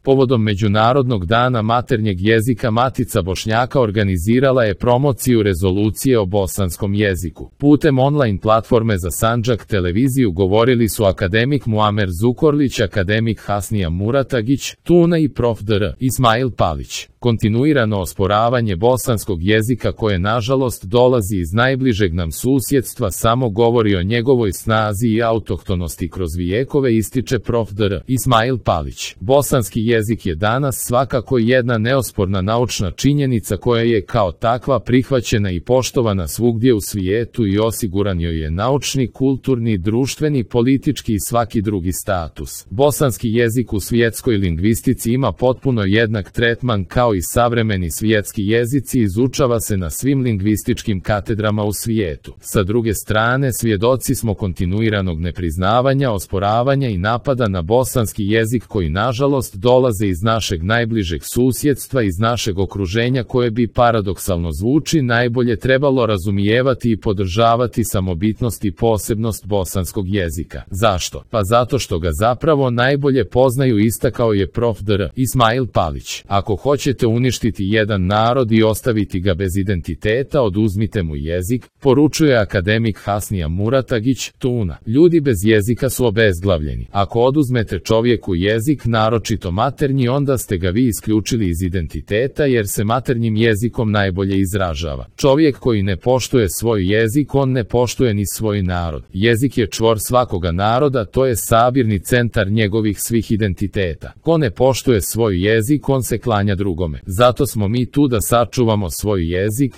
Povodom Međunarodnog dana maternjeg jezika Matica Bošnjaka organizirala je promociju rezolucije o bosanskom jeziku. Putem online platforme za Sandžak televiziju govorili su akademik Muamer Zukorlić, akademik Hasnija Muratagić, Tuna i prof. dr. Ismail Palić. Kontinuirano osporavanje bosanskog jezika koje nažalost dolazi iz najbližeg nam susjedstva samo govori o njegovoj snazi i autohtonosti kroz vijekove, ističe prof. dr. Ismail Palić. Bosanski jezik je danas svakako jedna neosporna naučna činjenica koja je kao takva prihvaćena i poštovana svugdje u svijetu i osiguran joj je naučni, kulturni, društveni, politički i svaki drugi status. Bosanski jezik u svjetskoj lingvistici ima potpuno jednak tretman kao i savremeni svjetski jezici, izučava se na svim lingvističkim katedrama u svijetu. Sa druge strane, svjedoci smo kontinuiranog nepriznavanja, osporavanja i napada na bosanski jezik koji nažalost dolaze iz našeg najbližeg susjedstva, iz našeg okruženja koje bi, paradoksalno zvuči, najbolje trebalo razumijevati i podržavati samobitnost i posebnost bosanskog jezika. Zašto? Pa zato što ga zapravo najbolje poznaju, istakao je prof. dr. Ismail Palić. Ako hoćete uništiti jedan narod i ostaviti ga bez identiteta, oduzmite mu jezik, poručuje akademik Hasnija Muratagić, Tuna. Ljudi bez jezika su obezglavljeni. Ako oduzmete čovjeku jezik, naročito maternji, onda ste ga vi isključili iz identiteta jer se maternjim jezikom najbolje izražava. Čovjek koji ne poštuje svoj jezik, on ne poštuje ni svoj narod. Jezik je čvor svakoga naroda, to je sabirni centar njegovih svih identiteta. Ko ne poštuje svoj jezik, on se klanja drugome. Zato smo mi tu da sačuvamo svoj jezik.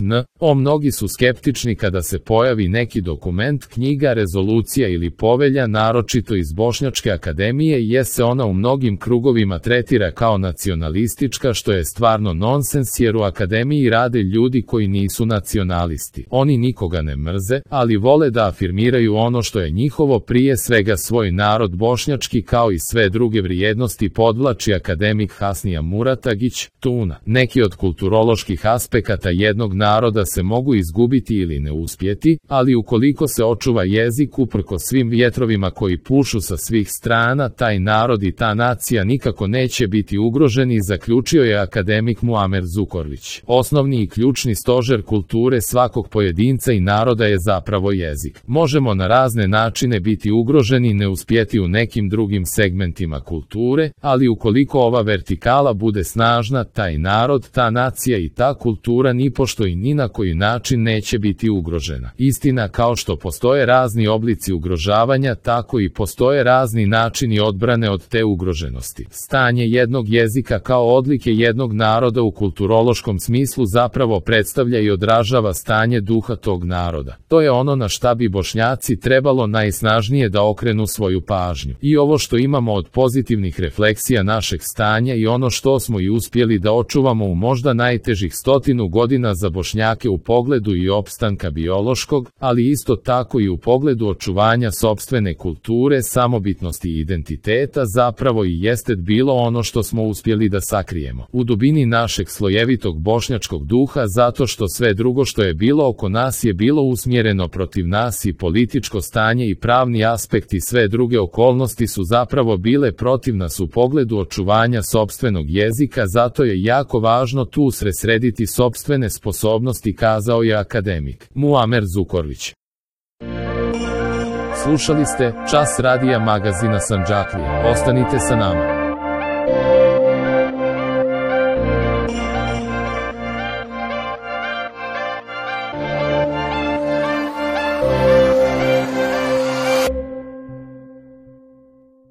Mnogi su skeptični kada se pojavi neki dokument, knjiga, rezolucija ili povelja, naročito iz Bošnjačke akademije, jer se ona u mnogim krugovima tretira kao nacionalistička, što je stvarno nonsens jer u akademiji rade ljudi koji nisu nacionalisti. Oni nikoga ne mrze, ali vole da afirmiraju ono što je njihovo, prije svega svoj narod bošnjački, kao i sve druge vrijednosti, podvlači akademik Hasnija Muratagić, Tuna. Neki od kulturoloških aspekata jednog naroda se mogu izgubiti ili ne uspjeti, ali ukoliko se očuva jezik uprkos svim vjetrovima koji pušu sa svih strana, taj narod i ta nacija nikako neće biti ugroženi, zaključio je akademik Muamer Zukorlić. Osnovni i ključni stožer kulture svakog pojedinca i naroda je zapravo jezik. Možemo na razne načine biti ugroženi i ne uspjeti u nekim drugim segmentima kulture, ali ukoliko ova vertikala bude snažna, taj narod, ta nacija i ta kultura nipošto i ni na koji način neće biti ugrožena. Istina, kao što postoje razni oblici ugrožavanja, tako i postoje razni načini odbrane od te ugroženosti. Stanje jednog jezika kao odlike jednog naroda u kulturološkom smislu zapravo predstavlja i odražava stanje duha tog naroda. To je ono na šta bi Bošnjaci trebalo najsnažnije da okrenu svoju pažnju. I ovo što imamo od pozitivnih refleksija našeg stanja i ono što smo i uspjeli da očuvamo u možda najtežih 100 godina za Bošnjake u pogledu i opstanka biološkog, ali isto tako i u pogledu očuvanja sopstvene kulture, samobitnosti i identiteta, zapravo i jeste bilo ono što smo uspjeli da sakrijemo u dubini našeg slojevitog bošnjačkog duha, zato što sve drugo što je bilo oko nas je bilo usmjereno protiv nas i političko stanje i pravni aspekt i sve druge okolnosti su zapravo bile protiv nas u pogledu očuvanja sopstvenog jezika, zato je jako važno tu usredsrediti sopstvene sposobnosti, kazao je akademik Muamer Zukorlić. Slušali ste Čas radija magazina Sandžaklija. Ostanite sa nama.